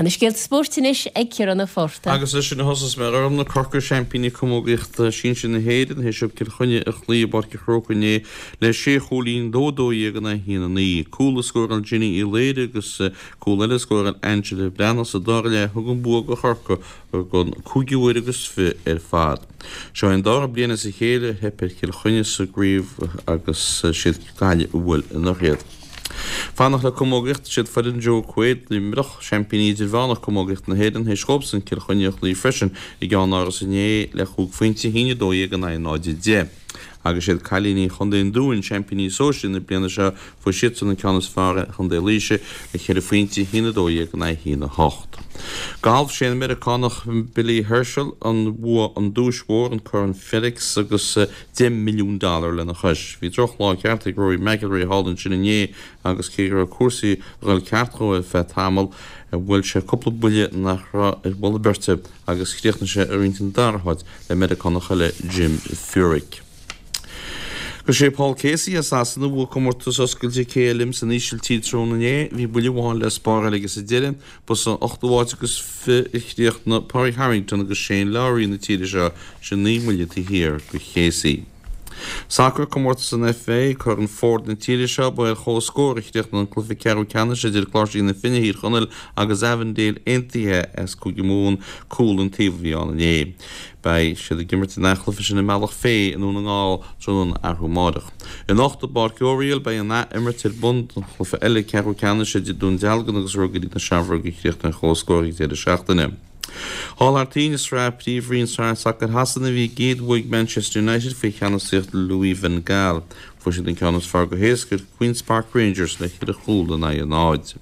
Na scéalta spóirt anois ag Ciarán Ó Fátharta. Agus leis sin a thosós mé, a Ghormfhlaith, Corcaigh, seaimpíní camógaíochta sinsir na hÉireann, théis dóibh Cill Chainnigh a chloí i bPáirc an Chrócaigh inné le sé chúilín, 2 12 in aghaidh 1 9. Cúl a scóráil Jenny Uí Laoire agus cúl eile a scóráil Angela Breathnach sa dara leath a thug an bua do Chorcaigh don cúigiú huair agus fi ar fad. Seo é an dara bliain as a chéile ar theip ar Chill Chainnigh sa gcraobh agus siad Gaillimh a bhuail anuraidh iad. Fanacht le camógaíocht, siad foireann Joe Quaid, Luimneach, seaimpíní idirmheánach camógaíochta na hÉireann, théis dhóibhsan Cill Chainnigh a chloí freisin i gCeann Áras inné le chúig phointe, 1-12 in aghaidh 0-10. Agus siad cailíní Chontae an Dúin, seaimpíní sóisir na bliana seo, fuair siadsan an ceann is fearr ar Chontae Laoise le ceithre phointe, 1-12 in aghaidh 1-8. Galf, Sé an Meiriceánach Billy Horschel a bhuaigh an duais mhór, an Corn FedEx, agus $10 milliún lena chois. Bhí drochlá ceart ag Rory McIlroy thall ansin inné agus cé go raibh cúrsaí ag dul ceart dhó ar feadh tamaill, bhuail sé cúpla buille nach raibh ar mholadh beirte agus chríochnaigh sé ag roinnt an dara háit le Meiriceánach eile, Jim Furyk. Agus sé Paul Casey as Sasana a bhuaigh comórtas oscailte KLM san Ísiltír tráthnóna inné. Bhí buille amháin le spáráil aige sa deireadh. Ba san ochtú háit agus fi a chríochnaigh Pádraig Harrington agus Shane Lowry na tíre seo, sin 9 mbuille taobh thiar de Casey. Sacar, Comórtas an FA, Corn Ford na tíre seo, ba ar chomhscór a chríochnaigh an cluiche ceathrú ceannais idir Cláirsigh na Finne Thír Chonaill agus Avondale Aontaithe as Cúige Mumhan, cúl an taobh a bhí ann inné. Beidh siad ag imirt an athchluiche sin i mBealach Féich i nDún na nGall tráthnóna arú amáireach. Anocht i bPáirc Oriel beidh an ath-imirt ar bun don chluiche eile ceathrú ceannais idir Dún Dealgan agus Ruagairí na Seamróige a chríochnaigh ar chomhscór ag deireadh seachtaine. Thall thar toinn i Sraith Príomhroinn Sacair Shasana bhí a gcéad bhua ag Manchester United faoi cheannasaíocht Louis van Gaal. Fuair siad an ceann is fearr go héasca ar Queens Park Rangers le ceithre chúl in aghaidh a náid.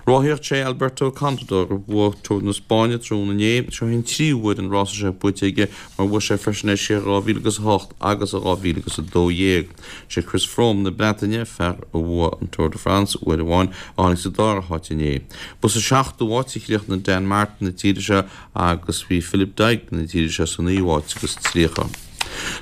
Rothaíocht Sé Alberto Contador a bhuaigh Tour na Spáinne tráthnóna inné. Seo é an tríú huair an rása seo buaite aige mar bhuaigh sé freisin é siar i 2008 agus i 2012. Sé Chris Froome na Breataine, fear a bhuaigh an Tour de France uair amháin, a tháinig sa dara háit inné. Ba sa seachtú háit a chríochnaigh Dan Martin na tíre seo agus bhí Philip Deignan na tíre seo sa naoú háit agus 30.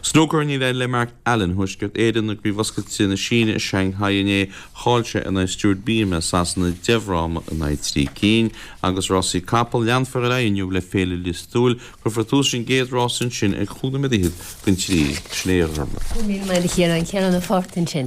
Snúcar Níor éirigh le Mark Allen Thuaisceart Éireann i gCraobh Oscailte na Síne i Shanghai inné. Chaill sé in aghaidh Stuart Bingham as Sasana 10 bhfráma in aghaidh 3 cinn. Agus rásaí capall, leanfar ar aghaidh inniu le Féile Lios Tuathail. Cuirfear tús leis an gcéad rás ansin ag chúig nóiméad fhichead don trí. Sin é a Ghormfhlaith. Go raibh míle maith agat a Chiaráin. Ciarán Ó Fátharta ansin.